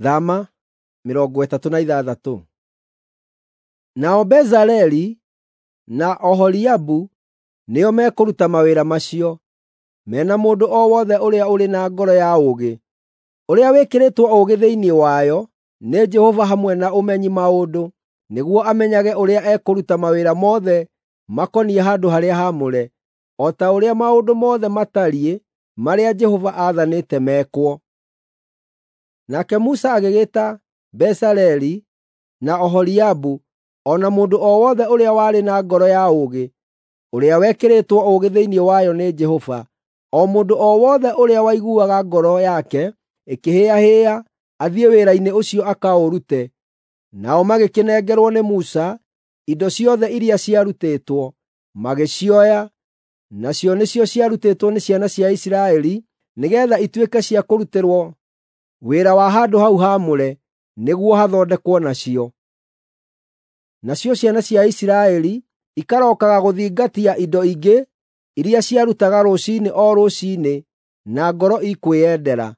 Thama 36. Nao Bezaleli na Oholiabu nĩo mekũruta mawĩra macio, me na mũndũ o wothe ũrĩa ũrĩ na ngoro ya ũũgĩ, ũrĩa wĩkĩrĩtwo ũũgĩ thĩinĩ wayo nĩ Jehova hamwe na ũmenyi maũndũ, nĩguo amenyage ũrĩa ekũruta mawĩra mothe makoniĩ handũ-harĩa-haamũre, o ta ũrĩa maũndũ mothe matariĩ marĩa Jehova aathanĩte mekwo. Nake Musa agĩgĩĩta Bezaleli na Oholiabu o na mũndũ o wothe ũrĩa warĩ na ngoro ya ũũgĩ, ũrĩa wekĩrĩtwo ũũgĩ thĩinĩ wayo nĩ Jehova, o mũndũ o wothe ũrĩa waiguaga ngoro yake ĩkĩhĩĩahĩĩa athiĩ wĩra-inĩ ũcio akaũrute. Nao magĩkĩnengerwo nĩ Musa indo ciothe iria ciarutĩtwo, magĩcioya, nacio nĩcio ciarutĩtwo nĩ ciana cia Isiraeli nĩgeetha ituĩke cia kũrutĩrwo wĩra wa handũ hau haamũre nĩguo hathondekwo nacio. Nacio ciana cia Isiraeli ikarookaga gũthingatia indo ingĩ iria ciarutaga rũciinĩ o rũciinĩ na ngoro ikwĩyendera.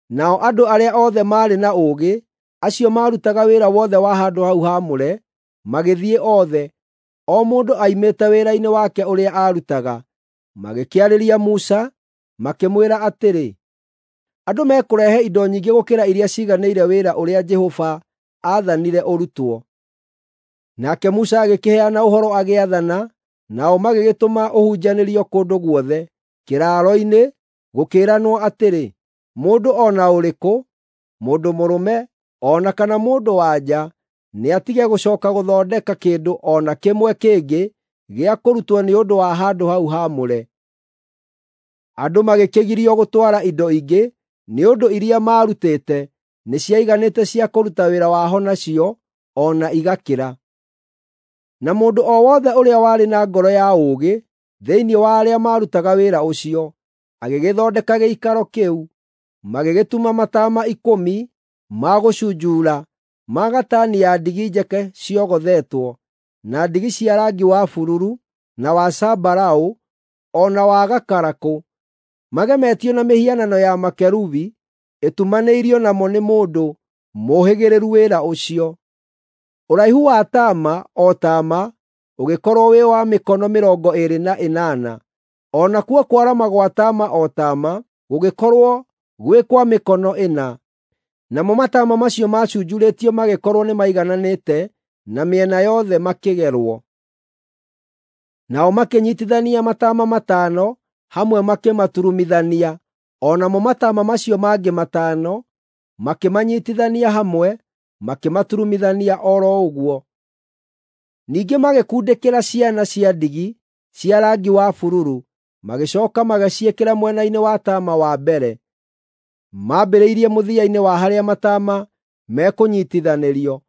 Nao andũ arĩa othe maarĩ na ũũgĩ, acio maarutaga wĩra wothe wa handũ hau haamũre, magĩthiĩ othe, o mũndũ oimĩte wĩra-inĩ wake ũrĩa aarutaga, magĩkĩarĩria Musa, makĩmwĩra atĩrĩ, “Andũ mekũrehe indo nyingĩ gũkĩra iria ciiganĩire wĩra ũrĩa Jehova aathanire ũrutwo.” Nake Musa agĩkĩheana ũhoro agĩathana, nao magĩgĩtũma ũhunjanĩrio kũndũ guothe kĩraaro-inĩ, gũkĩĩranwo atĩrĩ, mũndũ o na ũrĩkũ, mũndũ mũrũme o na kana mũndũ-wa-nja, nĩatige gũcooka gũthondeka kĩndũ o na kĩmwe kĩngĩ gĩa kũrutwo nĩ ũndũ wa handũ hau haamũre. Andũ magĩkĩgirio gũtwara indo ingĩ, nĩ ũndũ iria maarutĩte nĩciaiganĩte cia kũruta wĩra waho nacio o na igakĩra. Na mũndũ o wothe ũrĩa warĩ na ngoro ya ũũgĩ thĩinĩ wa arĩa maarutaga wĩra ũcio, agĩgĩthondeka gĩikaro kĩu. Magĩgĩtuma mataama 10 ma gũcunjuura ma gatani ya ndigi njeke ciogothetwo, na ndigi cia rangi wa bururu, na wa zambarau, o na wa gakarakũ, magemetio na mĩhianano ya makerubi ĩtumanĩirio namo nĩ mũndũ mũũhĩgĩrĩru wĩra ũcio. Ũraihu wa taama o taama ũgĩkorwo wĩ wa mĩkono 28, o nakuo kwarama gwa taama o taama gũgĩkorwo gwĩ kwa mĩkono 4. Namo mataama macio maacunjurĩtio magĩkorwo nĩmaigananĩte na mĩena yothe makĩgerwo. Nao makĩnyiitithania mataama 5 hamwe makĩmaturumithania, o namo mataama macio mangĩ 5 makĩmanyiitithania hamwe makĩmaturumithania o ro ũguo. Ningĩ magĩkundĩkĩra ciana cia ndigi cia rangi wa bururu, magĩcooka magĩciĩkĩra mwena-inĩ wa taama wa mbere, mambĩrĩirie mũthia-inĩ wa harĩa mataama mekũnyiitithanĩrio.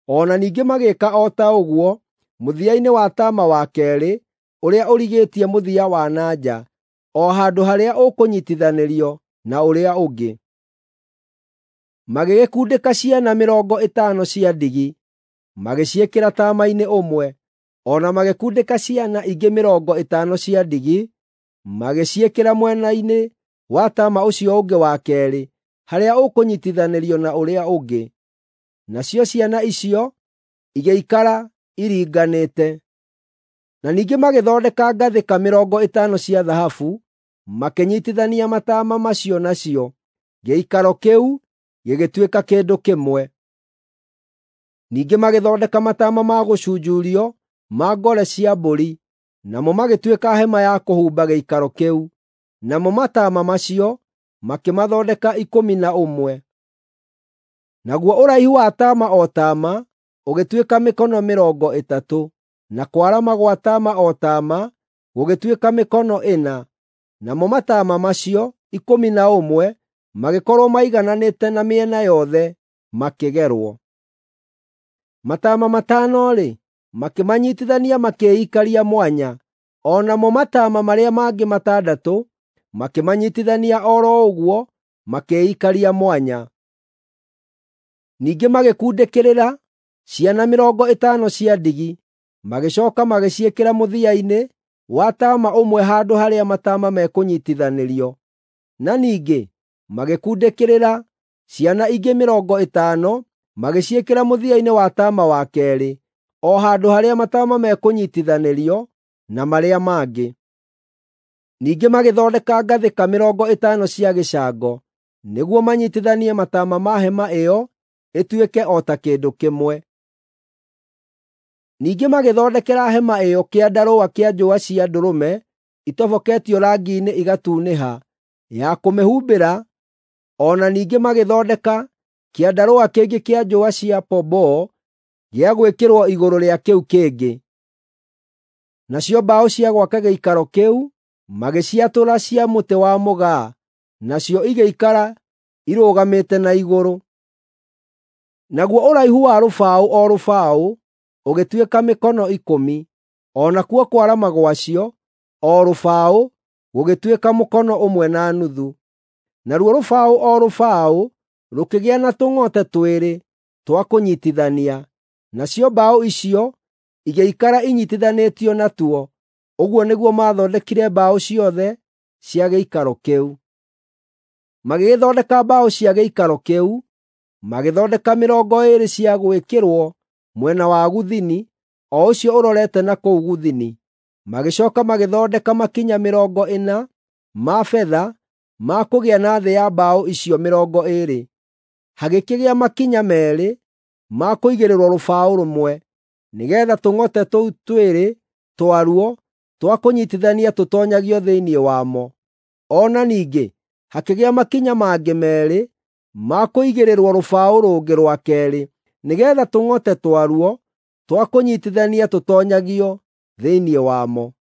O na ningĩ magĩĩka o ta ũguo mũthia-inĩ wa taama wa keerĩ ũrĩa ũrigĩtie mũthia wa na nja, o handũ harĩa ũkũnyiitithanĩrio na ũrĩa ũngĩ. Magĩgĩkundĩka ciana 50 cia ndigi, magĩciĩkĩra taama-inĩ ũmwe, o na magĩkundĩka ciana ingĩ 50 cia ndigi, magĩciĩkĩra mwena-inĩ wa taama ũcio ũngĩ wa keerĩ, harĩa ũkũnyiitithanĩrio na ũrĩa ũngĩ. Nacio ciana icio igĩikara iringanĩte. Na ningĩ magĩthondeka ngathĩka 50 cia thahabu, makĩnyiitithania mataama macio nacio, gĩikaro kĩu gĩgĩtuĩka kĩndũ kĩmwe. Ningĩ magĩthondeka mataama ma gũcunjurio ma ngore cia mbũri, namo magĩtuĩka hema ya kũhumba gĩikaro kĩu. Namo mataama macio makĩmathondeka 11. Naguo ũraihu wa taama o taama ũgĩtuĩka mĩkono 30, na kwarama gwa taama o taama gũgĩtuĩka mĩkono 4. Namo mataama macio 11 magĩkorwo maigananĩte na mĩena yothe makĩgerwo. Mataama 5-rĩ, makĩmanyiitithania makĩikaria mwanya, o namo mataama marĩa mangĩ 6 makĩmanyiitithania o ro ũguo makĩikaria mwanya. Ningĩ magĩkundĩkĩrĩra ciana 50 cia ndigi, magĩcooka magĩciĩkĩra mũthia-inĩ wa taama ũmwe handũ harĩa mataama mekũnyiitithanĩrio, na ningĩ magĩkundĩkĩrĩra Ciana ingĩ 50 magĩciĩkĩra mũthia-inĩ wa taama wa keerĩ, o handũ harĩa mataama mekũnyiitithanĩrio na marĩa mangĩ. Ningĩ magĩthondeka ngathĩka 50 cia gĩcango nĩguo manyiitithanie mataama ma hema ĩyo ĩtuĩke o ta kĩndũ kĩmwe. Ningĩ magĩthondekera hema ĩyo kĩandarũa kĩa njũa cia ndũrũme itoboketio rangi-inĩ igatunĩha, ya kũmĩhumbĩra, o na ningĩ magĩthondeka kĩandarũa kĩngĩ kĩa njũa cia pomboo gĩa gwĩkĩrwo igũrũ rĩa kĩu kĩngĩ. Nacio mbaũ cia gwaka gĩikaro kĩu magĩciatũra cia mũtĩ wa mũgaa, nacio igĩikara irũgamĩte na igũrũ. Naguo ũraihu wa rũbaũ o rũbaũ ũgĩtuĩka mĩkono 10, o nakuo kwarama gwacio o rũbaũ gũgĩtuĩka mũkono 1.5. Naruo rũbaũ o rũbaũ rũkĩgĩa na tũng'ote twĩrĩ twa kũnyiitithania, nacio mbaũ icio igĩikara inyiitithanĩtio natuo. Ũguo nĩguo maathondekire mbaũ ciothe cia gĩikaro kĩu. Magĩgĩthondeka mbaũ cia gĩikaro kĩu, magĩthondeka 20 cia gwĩkĩrwo mwena wa gũthini, o ũcio ũrorete na kũu gũthini. Magĩcooka magĩthondeka makinya 40 ma betha ma kũgĩa na thĩ ya mbaũ icio 20. Hagĩkĩgĩa makinya 2 ma kũigĩrĩrwo rũbaũ rũmwe, nĩgeetha tũng'ote tũu twĩrĩ twaruo twa kũnyiitithania tũtoonyagio thĩinĩ wamo. O na ningĩ hakĩgĩa makinya mangĩ 2 ma kũigĩrĩrwo rũbaũ rũngĩ rwa keerĩ, nĩgeetha tũng'ote twaruo twa kũnyiitithania tũtoonyagio thĩinĩ wamo.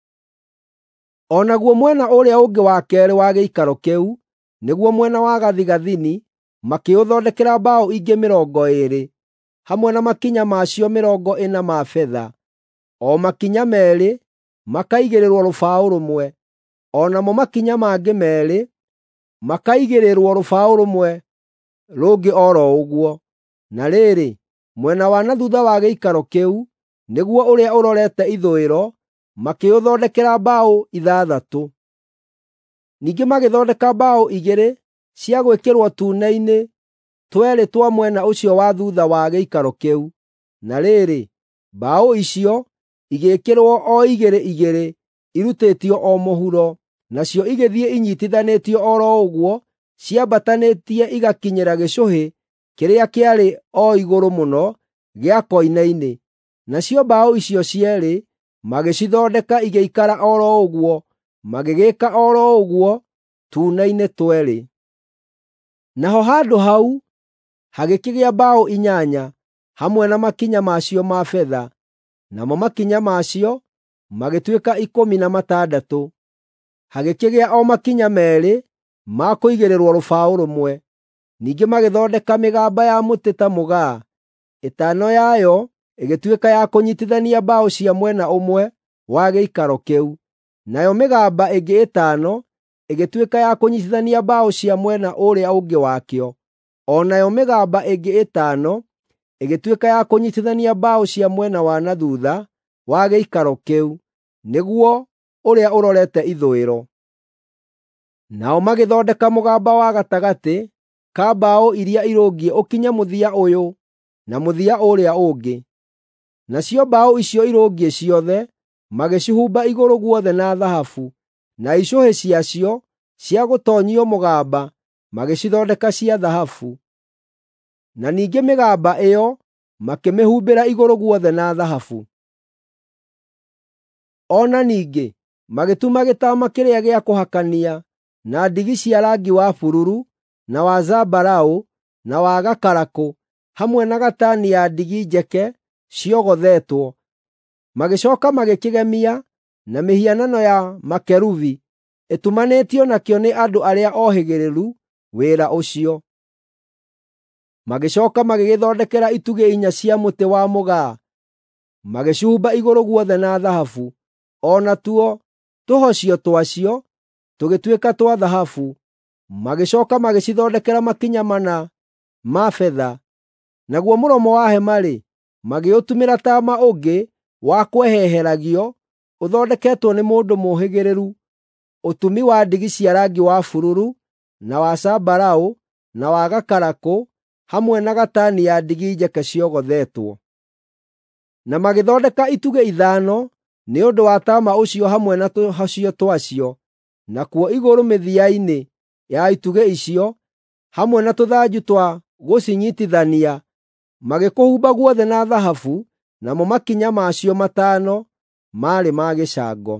O naguo mwena ũrĩa ũngĩ wa keerĩ wa gĩikaro kĩu, nĩguo mwena wa gathigathini, makĩũthondekera mbaũ ingĩ 20, hamwe na makinya macio 40 ma betha, o makinya 2 makaigĩrĩrwo rũbaũ rũmwe, o namo makinya mangĩ 2 makaigĩrĩrwo rũbaũ rũmwe rũngĩ o ro ũguo. Na rĩrĩ, mwena wa na thuutha wa gĩikaro kĩu, nĩguo ũrĩa ũrorete ithũĩro, makĩũthondekera mbaũ 6. Ningĩ magĩthondeka mbaũ 2 cia gwĩkĩrwo tuune-inĩ tweerĩ twa mwena ũcio wa thuutha wa gĩikaro kĩu. Na rĩrĩ, mbaũ icio igĩĩkĩrwo o igĩrĩ igĩrĩ irutĩtio o mũhuro, nacio igĩthiĩ inyiitithanĩtio o ro ũguo ciambatanĩtie igakinyĩra gĩcũhĩ kĩrĩa kĩarĩ o igũrũ mũno gĩa koine-inĩ. Nacio mbaũ icio cierĩ magĩcithondeka igĩikara o ro ũguo, magĩgĩĩka o ro ũguo tuune-inĩ tweerĩ. Naho handũ hau hagĩkĩgĩa mbaũ 8 hamwe na makinya macio ma betha, namo makinya macio magĩtuĩka 16. Hagĩkĩgĩa o makinya 2 ma kũigĩrĩrwo rũbaũ rũmwe. Ningĩ magĩthondeka mĩgamba ya mũtĩ ta mũgaa, 5 yayo ĩgĩtuĩka ya kũnyiitithania mbaũ cia mwena ũmwe wa gĩikaro kĩu, nayo mĩgamba ĩngĩ 5 ĩgĩtuĩka ya kũnyiitithania mbaũ cia mwena ũrĩa ũngĩ wakĩo, o nayo mĩgamba ĩngĩ 5 ĩgĩtuĩka ya kũnyiitithania mbaũ cia mwena wa na thuutha wa gĩikaro kĩu, nĩguo ũrĩa ũrorete ithũĩro. Nao magĩthondeka mũgamba wa gatagatĩ ka mbaũ iria irũngiĩ ũkinye mũthia ũyũ na mũthia ũrĩa ũngĩ. Nacio mbaũ icio irũngiĩ ciothe magĩcihumba igũrũ guothe na thahabu, na icũhĩ ciacio cia gũtoonyio mũgamba magĩcithondeka cia thahabu. Na ningĩ mĩgamba ĩyo makĩmĩhumbĩra igũrũ guothe na thahabu. O na ningĩ magĩtuma gĩtama kĩrĩa gĩa kũhakania na ndigi cia rangi wa bururu, na wa zambarau, na wa gakarakũ, hamwe na gatani ya ndigi njeke ciogothetwo. Magĩcooka magĩkĩgemia na mĩhianano ya makerubi ĩtumanĩtio nakĩo nĩ andũ arĩa ohĩgĩrĩru wĩra ũcio. Magĩcooka magĩgĩthondekera itugĩ 4 cia mũtĩ wa mũgaa, magĩcihumba igũrũ guothe na thahabu, o natuo tũhocio twacio tũgĩtuĩka twa thahabu. Magĩcooka magĩcithondekera makinya 4 ma betha. Naguo mũromo wa hema-rĩ, magĩũtumĩra taama ũngĩ wa kweheheragio ũthondeketwo nĩ mũndũ mũũhĩgĩrĩru, ũtumi wa ndigi cia rangi wa bururu, na wa zambarau, na wa gakarakũ, hamwe na gatani ya ndigi njeke ciogothetwo. Na magĩthondeka itugĩ ithano nĩ ũndũ wa taama ũcio hamwe na tũhocio twacio, nakuo igũrũ mĩthia-inĩ ya itugĩ icio, hamwe na tũthanju twa gũcinyiitithania, magĩkũhumba guothe na thahabu, namo makinya macio matano maarĩ ma gĩcango.